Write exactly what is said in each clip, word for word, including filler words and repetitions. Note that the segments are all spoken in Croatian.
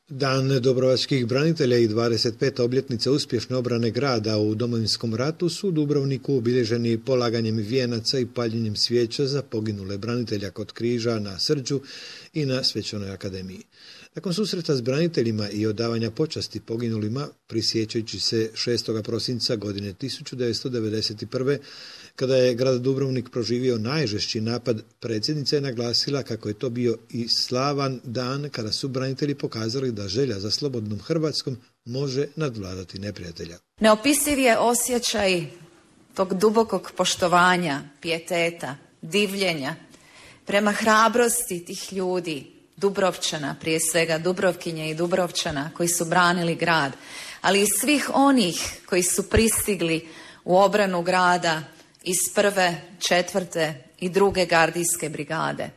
Dan Dubrovačkih branitelja i dvadeset peta obljetnica uspješne obrane grada u Domovinskom ratu su u Dubrovniku obilježeni polaganjem vijenaca i paljenjem svijeća za poginule branitelja kod križa na Srđu i na Svečanoj akademiji. Nakon susreta s braniteljima i odavanja počasti poginulima, prisjećajući se šestog prosinca godine tisuću devetsto devedeset prve. kada je grad Dubrovnik proživio najžešći napad, predsjednica je naglasila kako je to bio i slavan dan kada su branitelji pokazali da želja za slobodnom Hrvatskom može nadvladati neprijatelja. Neopisiv je osjećaj tog dubokog poštovanja, pijeteta, divljenja prema hrabrosti tih ljudi, Dubrovčana, prije svega Dubrovkinje i Dubrovčana koji su branili grad, ali i svih onih koji su pristigli u obranu grada iz prve, četvrte i druge gardijske brigade.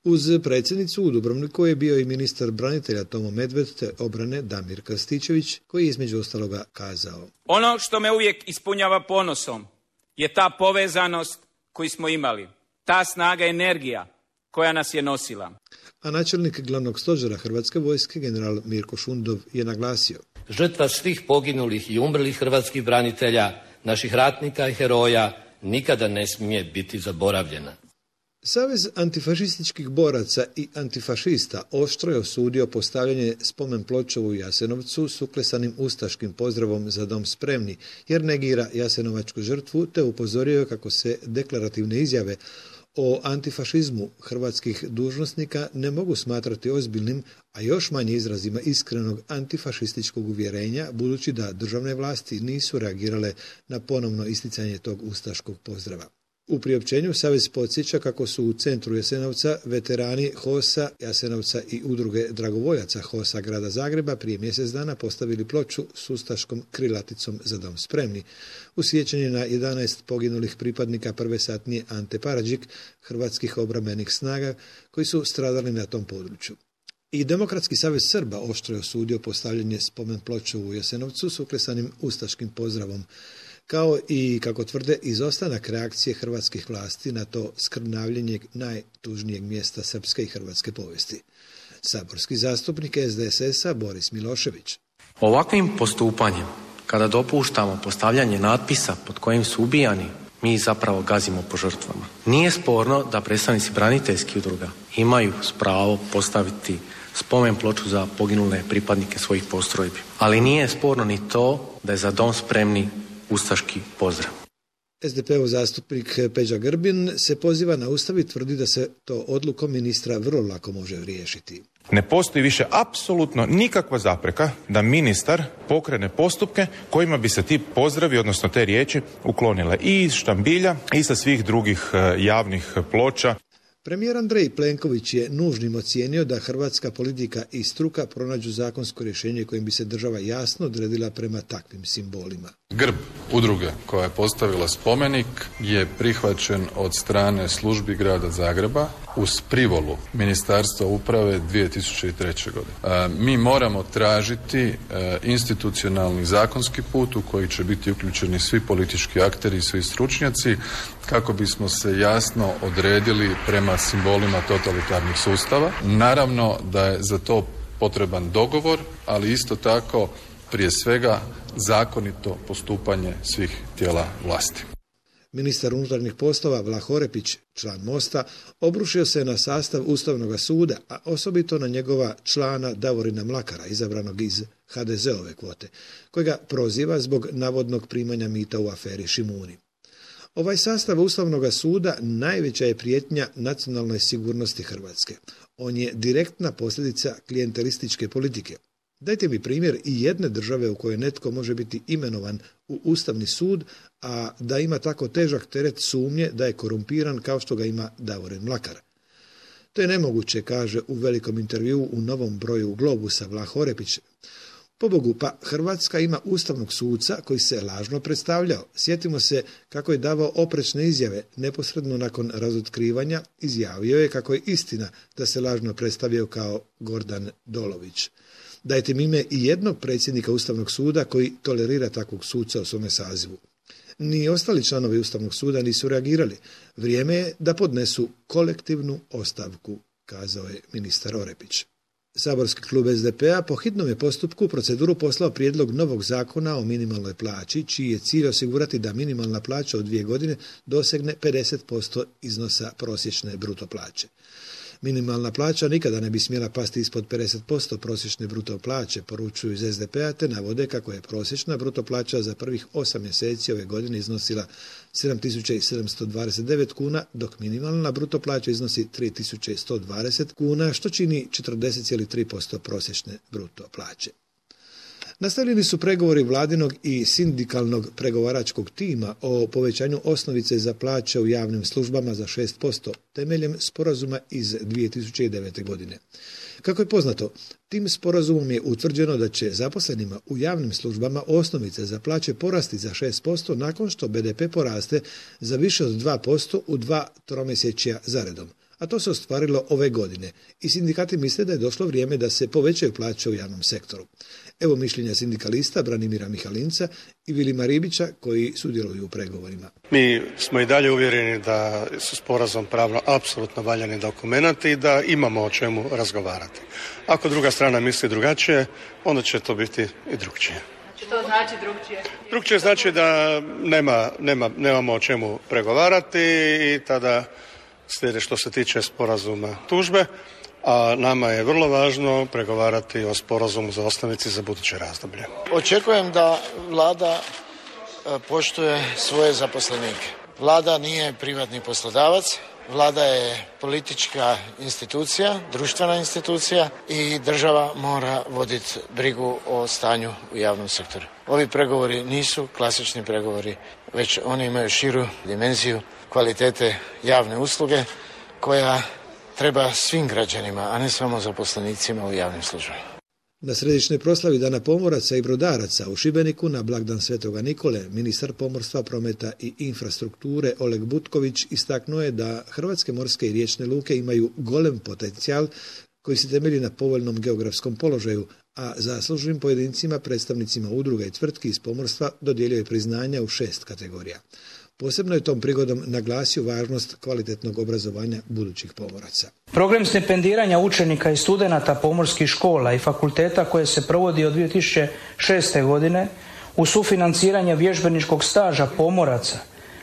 Uz predsjednicu u Dubrovniku je bio i ministar branitelja Tomo Medved te obrane Damir Krstičević, koji je između ostaloga kazao: Ono što me uvijek ispunjava ponosom je ta povezanost koju smo imali, ta snaga i energija koja nas je nosila. A načelnik glavnog stožera Hrvatske vojske, general Mirko Šundov, je naglasio: Žrtva svih poginulih i umrlih hrvatskih branitelja, naših ratnika i heroja, nikada ne smije biti zaboravljena. Savez antifašističkih boraca i antifašista oštro je osudio postavljanje spomen ploče u Jasenovcu s uklesanim ustaškim pozdravom Za dom spremni, jer negira jasenovačku žrtvu, te upozorio kako se deklarativne izjave o antifašizmu hrvatskih dužnosnika ne mogu smatrati ozbiljnim, a još manje izrazima iskrenog antifašističkog uvjerenja, budući da državne vlasti nisu reagirale na ponovno isticanje tog ustaškog pozdrava. U priopćenju Savez podsjeća kako su u centru Jasenovca veterani H O S-a Jasenovca i udruge dragovoljaca H O S-a grada Zagreba prije mjesec dana postavili ploču s ustaškom krilaticom Za dom spremni, u sjećanje na jedanaest poginulih pripadnika prve satnije Ante Paradžik, hrvatskih obrambenih snaga koji su stradali na tom području. I Demokratski savez Srba oštro je osudio postavljanje spomen ploče u Jasenovcu s uklesanim ustaškim pozdravom, kao i, kako tvrde, izostanak reakcije hrvatskih vlasti na to skrnavljenje najtužnijeg mjesta srpske i hrvatske povijesti. Saborski zastupnik S D S S-a Boris Milošević: Ovakvim postupanjem, kada dopuštamo postavljanje natpisa pod kojim su ubijani, mi zapravo gazimo po žrtvama. Nije sporno da predstavnici braniteljskih udruga imaju pravo postaviti spomen ploču za poginule pripadnike svojih postrojbi, ali nije sporno ni to da je Za dom spremni ustaški pozdrav. S D P-ov zastupnik Peđa Grbin se poziva na Ustav i tvrdi da se to odlukom ministra vrlo lako može riješiti. Ne postoji više apsolutno nikakva zapreka da ministar pokrene postupke kojima bi se ti pozdravi, odnosno te riječi, uklonile i iz štambilja i sa svih drugih javnih ploča. Premijer Andrej Plenković je nužnim ocijenio da hrvatska politika i struka pronađu zakonsko rješenje kojim bi se država jasno odredila prema takvim simbolima. Grb udruge koja je postavila spomenik je prihvaćen od strane službi grada Zagreba uz privolu Ministarstva uprave dvije tisuće treće. godine. A, mi moramo tražiti a, institucionalni zakonski put u koji će biti uključeni svi politički akteri i svi stručnjaci kako bismo se jasno odredili prema simbolima totalitarnih sustava. Naravno da je za to potreban dogovor, ali isto tako prije svega zakonito postupanje svih tijela vlasti. Ministar unutarnjih poslova Vlah Orepić, član Mosta, obrušio se na sastav Ustavnog suda, a osobito na njegova člana Davorina Mlakara, izabranog iz H D Z-ove kvote, kojega proziva zbog navodnog primanja mita u aferi Šimuni. Ovaj sastav Ustavnog suda najveća je prijetnja nacionalnoj sigurnosti Hrvatske. On je direktna posljedica klijentelističke politike. Dajte mi primjer i jedne države u kojoj netko može biti imenovan u Ustavni sud, a da ima tako težak teret sumnje da je korumpiran kao što ga ima Davorin Mlakar. To je nemoguće, kaže u velikom intervjuu u novom broju Globusa Vlah Orepić. Pobogu, pa Hrvatska ima ustavnog suca koji se lažno predstavljao. Sjetimo se kako je davao oprečne izjave. Neposredno nakon razotkrivanja izjavio je kako je istina da se lažno predstavio kao Gordan Dolović. Dajte mi ime i jednog predsjednika Ustavnog suda koji tolerira takvog suca u svome sazivu. Ni ostali članovi Ustavnog suda nisu reagirali. Vrijeme je da podnesu kolektivnu ostavku, kazao je ministar Orepić. Saborski klub es de pe a po hitnom je postupku u proceduru poslao prijedlog novog zakona o minimalnoj plaći, čiji je cilj osigurati da minimalna plaća u dvije godine dosegne pedeset posto iznosa prosječne bruto plaće. Minimalna plaća nikada ne bi smjela pasti ispod pedeset posto prosječne bruto plaće, poručuju iz es de pe a, te navode kako je prosječna bruto plaća za prvih osam mjeseci ove godine iznosila sedam tisuća sedamsto dvadeset devet kuna, dok minimalna bruto plaća iznosi tri tisuće sto dvadeset kuna, što čini četrdeset zarez tri posto prosječne bruto plaće. Nastavljeni su pregovori vladinog i sindikalnog pregovaračkog tima o povećanju osnovice za plaće u javnim službama za šest posto temeljem sporazuma iz dvije tisuće devete. godine. Kako je poznato, tim sporazumom je utvrđeno da će zaposlenima u javnim službama osnovice za plaće porasti za šest posto nakon što be de pe poraste za više od dva posto u dva tromjesečja zaredom. A to se ostvarilo ove godine i sindikati misle da je došlo vrijeme da se povećaju plaće u javnom sektoru. Evo mišljenja sindikalista Branimira Mihalinca i Vilima Ribića koji sudjeluju u pregovorima. Mi smo i dalje uvjereni da su sporazum pravno apsolutno valjani dokumenti i da imamo o čemu razgovarati. Ako druga strana misli drugačije, onda će to biti i drugčije. Što znači drugčije? Drugčije znači da nema, nema, nemamo o čemu pregovarati i tada slijede što se tiče sporazuma tužbe, a nama je vrlo važno pregovarati o sporazumu za osnovici za buduće razdoblje. Očekujem da vlada poštuje svoje zaposlenike. Vlada nije privatni poslodavac, vlada je politička institucija, društvena institucija i država mora voditi brigu o stanju u javnom sektoru. Ovi pregovori nisu klasični pregovori, već oni imaju širu dimenziju kvalitete javne usluge koja treba svim građanima, a ne samo zaposlenicima u javnim službama. Na središnjoj proslavi Dana pomoraca i brodaraca u Šibeniku na blagdan Svetoga Nikole, ministar pomorstva, prometa i infrastrukture Oleg Butković istaknuo je da hrvatske morske i riječne luke imaju golem potencijal koji se temelji na povoljnom geografskom položaju, a zaslužnim pojedincima, predstavnicima udruga i tvrtki iz pomorstva dodijelio je priznanja u šest kategorija. Posebno je tom prigodom naglasio važnost kvalitetnog obrazovanja budućih pomoraca. Program stipendiranja učenika i studenata pomorskih škola i fakulteta koje se provodi od dvije tisuće šeste. godine u sufinanciranje vježbeničkog staža pomoraca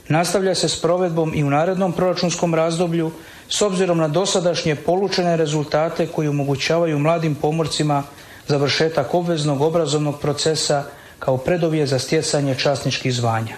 nastavlja se s provedbom i u narednom proračunskom razdoblju s obzirom na dosadašnje polučene rezultate koji omogućavaju mladim pomorcima završetak obveznog obrazovnog procesa kao preduvjet za stjecanje časničkih zvanja.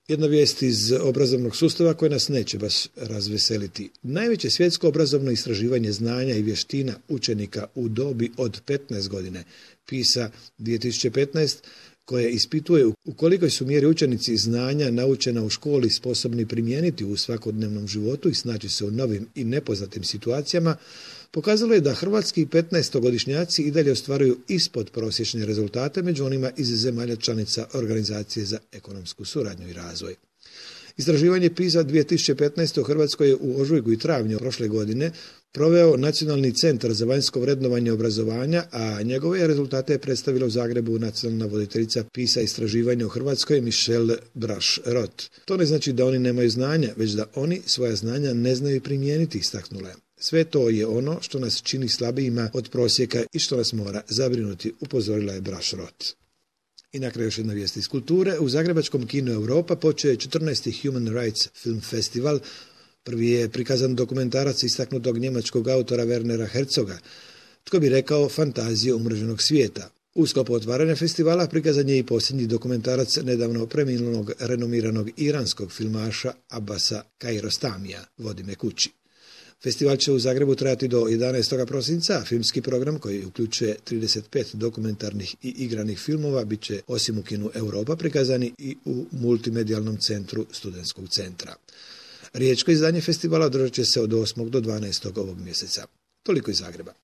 Jedna vijest iz obrazovnog sustava koja nas neće baš razveseliti. Najveće svjetsko obrazovno istraživanje znanja i vještina učenika u dobi od petnaest godine, PISA dvije tisuće petnaest, koje ispituje u kolikoj su mjeri učenici znanja naučena u školi sposobni primijeniti u svakodnevnom životu i snaći se u novim i nepoznatim situacijama, pokazalo je da hrvatski petnaestogodišnjaci i dalje ostvaruju ispod prosječne rezultate među onima iz zemalja članica Organizacije za ekonomsku suradnju i razvoj. Istraživanje PISA dvije tisuće petnaest u Hrvatskoj je u ožujku i travnju prošle godine proveo Nacionalni centar za vanjsko vrednovanje obrazovanja, a njegove rezultate je predstavila u Zagrebu nacionalna voditeljica PISA istraživanja u Hrvatskoj Michelle Braš-Rot. To ne znači da oni nemaju znanja, već da oni svoja znanja ne znaju primijeniti, istaknula je. Sve to je ono što nas čini slabijima od prosjeka i što nas mora zabrinuti, upozorila je Braš-Rot. I na kraju još jedna vijest iz kulture. U zagrebačkom kinu Europa počeo je četrnaesti Human Rights Film Festival. Prvi je prikazan dokumentarac istaknutog njemačkog autora Wernera Herzoga, tko bi rekao fantazije umreženog svijeta. U sklopu otvaranja festivala prikazan je i posljednji dokumentarac nedavno preminulog renomiranog iranskog filmaša Abasa Kiarostamija, Vodi me kući. Festival će u Zagrebu trajati do jedanaestog prosinca, a filmski program koji uključuje trideset pet dokumentarnih i igranih filmova bit će osim u kinu Europa prikazani i u multimedijalnom centru Studentskog centra. Riječko izdanje festivala održat će se od osmog do dvanaestog ovog mjeseca. Toliko iz Zagreba.